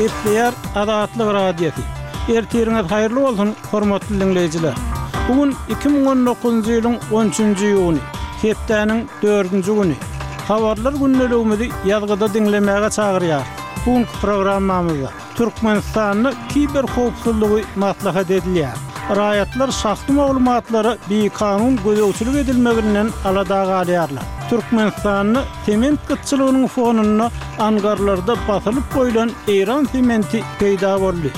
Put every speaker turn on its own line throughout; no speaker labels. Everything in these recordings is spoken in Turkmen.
Gepleýär Azatlyk Radiosy. Ertiriňiz haýyrly bolsun, hormatly diňleýjiler! Bu gün 2019-njy ýylyň on üçünji iýuny, hepdäniň dördünji güni. Habarlar gündeligimizi ýazgyda diňlemäge çagyrýarys. Bu günki programmamyzda. Türkmenistanda kiberhowpsuzlygy maslahat edilýär. Raýatlar şahsy maglumatlara bikanun gözegçilik edilmeginden alada galýarlar. Türkmenistanda sement gytçylygynyň fonunda angarlarda basylyp goýlan eýran sementi peýda boldy.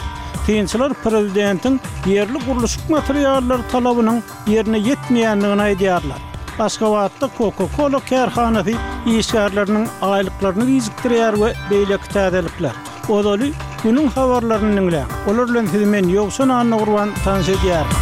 Synçylar prezidentiň ýerli gurluşyk materiallary talabynyň ýerine ýetmeýändigini aýdýarlar. Aşgabatda Coca-Cola kärhanasy işgärleriniň aýlyklaryny gijikdirýär we beýleki täzelikler. Ozaly günüň habarlaryny diňläň. Olar bilen sizi men Ýowşan Annagurban tanyş edýärin.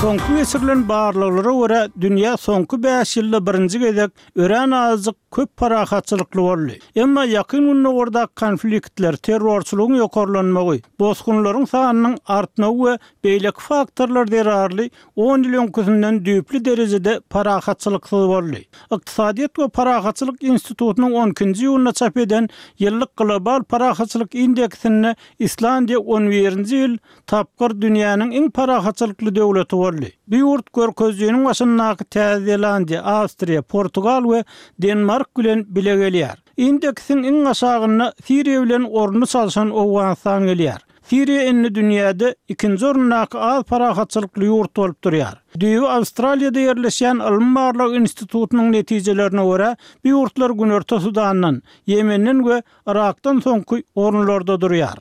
Soňky geçirilen barlaglara görä, dünýä soňky bäş ýylda birinji gezek örän azajyk köp parahatçylykly boldy. Emma Ýakyn Gündogardaky konfliktler, terrorçylygyň ýokarlanmagy, bosgunlaryň sanynyň artmagy we beýleki faktorlar zerarly on ýyl öňküsinden düýpli derejede parahatçylyksyz boldy. Ykdysadyýet we parahatçylyk institutynyň on ikinji iýunda çap eden ýyllyk Global parahatçylyk indeksinde Islandiýa on birinji ýyl tapgyr dünýäniň iň parahatçylykly döwleti boldy. Bu ýurt görkezijiniň başyndaky Täze Zelandiýa, Awstriýa, Portugal we Denmark bilen bile gelýär. Indeksiň iň aşagynda Siriýa bilen ornuny çalşan Owganystan gelýär. Siriýa indi dünýäde ikinji orundaky az parahatçylykly ýurt bolup durýar. Düýbi Awstraliýada ýerleşýän ylmy-barlag institutynyň netijelerine görä, bu ýurtlar Günorta Sudandan, Ýemenden we Yrakdan soňky orunlarda durýar.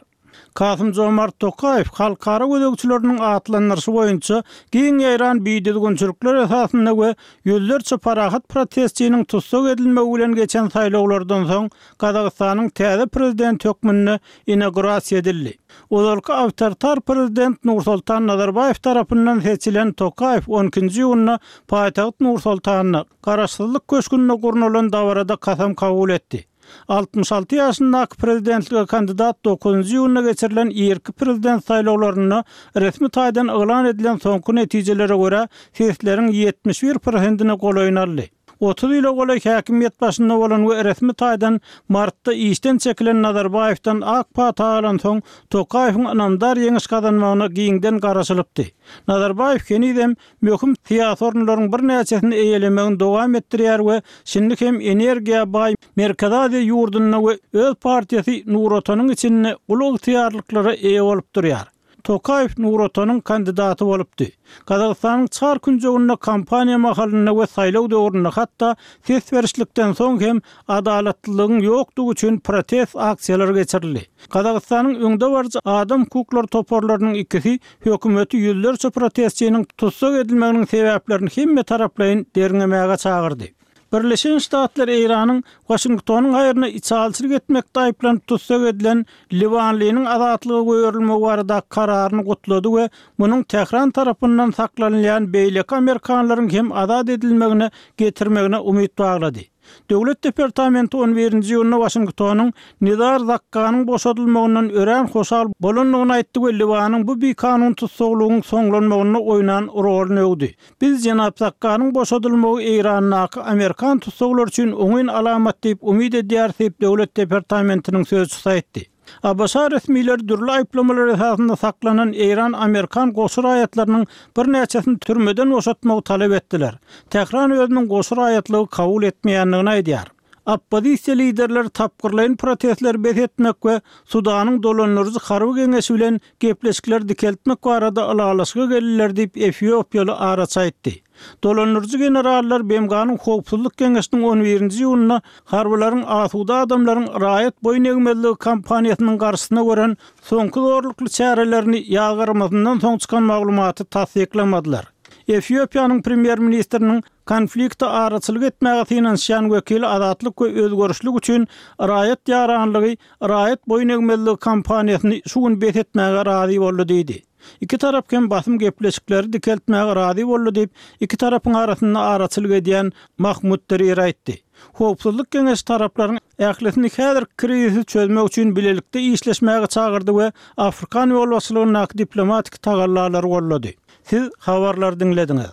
Kasym-Jomart Tokaýew halkara gözegçileriniň atlandyryşy boýunça giň ýaýran bidüzgünçilikler esasynda we ýüzlerçe parahat protestçiniň tussag edilmegi bilen geçen saýlawlardan soň Gazagystanyň täze prezidenti hökmünde inaugurasiýa edildi. Ozalky awtoritar prezident Nursoltan Nazarbaýew tarapyndan seçilen Tokaýew on ikinji iýunda paýtagt Nur-Sultanda, Garaşsyzlyk köşgünde gurnalan dabarada kasam kabul etdi. 66 ýaşyndaky prezidentlige kandidat dokuzynjy iýunda geçirilen irki prezident saýlawlarynda resmi taýdan yglan edilen soňky netijelere görä, sesleriň 71 prosentine golaýyny aldy. 30 ýyla golaý häkimiýet başynda bolan we resmi taýdan martda işden çekilen Nazarbaýewden ak pata alansoň, Tokaýewiň ynamdar ýeňiş gazanmagyna giňden garaşylypdy. Nazarbaýew henizem möhüm syýasy orunlaryň birnäçesini eýelemegini dowam etdirýär we şindi hem energiýa baý Merkezi Aziýa ýurdunda we öz partiýasy Nur Otanyň içinde uly ygtyýarlyklara eýe bolup durýar. Tokaýew Nur Otanyň kandidaty bolupdy. Gazagystanyň çar künjeginde kampaniýa mahalynda we saýlaw döwründe hatda ses berişlikden soň hem adalatlylygyň ýokdugy üçin protest aksiýalary geçirildi. Gazagystanyň öňdebaryjy adam hukuklary toparlarynyň ikisi hökümeti ýüzlerçe protestçiniň tussag edilmeginiň sebäplerini hemmetaraplaýyn derňemäge çagyrdy. Birleşen Ştatlar Eýranyň Waşingtonyň haýryna içalyçylyk etmekde aýyplanyp tussag edilen liwanlynyň azatlyga goýberilmegi baradaky kararyny gutlady we munuň Tähran tarapyndan saklanylýan beýleki amerikanlaryň hem azat edilmegine getirmegine umyt baglady. Döwlet departamenti on birinji iýunda Waşingtonyň Nizar Zakkanyň boşadylmagyndan örän hoşal bolandygyny aýtdy we Liwanyň bu bikanun tussaglygyň soňlanmagynda oýnan roluny öwdi. Biz jenap Zakkanyň boşadylmagy Eýrandaky amerikan tussaglary üçin oňyn alamat diýip umyt edýäris diýip, Döwlet departamentiniň sözçüsi aýtdy. ABŞ resmileri dürli aýyplamalar esasynda saklanan eýran-amerikan goşy raýatlarynyň birnäçesini türmeden boşatmagy talap etdiler. Tähran özüniň goşy raýatlygy kabul etmeýändigini aýdýar. Oppozisiýa liderleri tapgyrlaýyn protestleri bes etmek we Sudanyň dolandyryjy harby geňeşi bilen gepleşikleri dikeltmek barada ylalaşyga geldiler diýip, efiopiýaly araçy aýtdy. Dolandyryjy generallar BMG-niň Howpsuzlyk Geňeşiniň on birinji iýunda harbylaryň asuda adamlaryň raýat boýun egmezligi kampaniýasynyň garşysyna gören soňky zorlukly çärelerini ýazgarmasyndan soň çykan maglumaty tassyklamadylar. Efiopiýanyň premýer-ministriniň konflikte araçylyk etmäge synanyşýan wekili Azatlyk we özgerişlik üçin raýat ýaranlygy raýat boýun egmezligi kampaniýasyny şu gün bes etmäge razy boldy diýdi. Iki tarap hem basym gepleşikleri dikeltmäge razy boldy diýip, iki tarapyň arasynda araçylyk edýän Mahmud Dirir aýtdy. Howpsuzlyk geňeşi taraplaryň ählisini häzirki krizisi çözmek üçin bilelikde işleşmäge çagyrdy we afrikan ýolbaşçylygyndaky diplomatik tagallalary goldady. Siz habarlary diňlediňiz.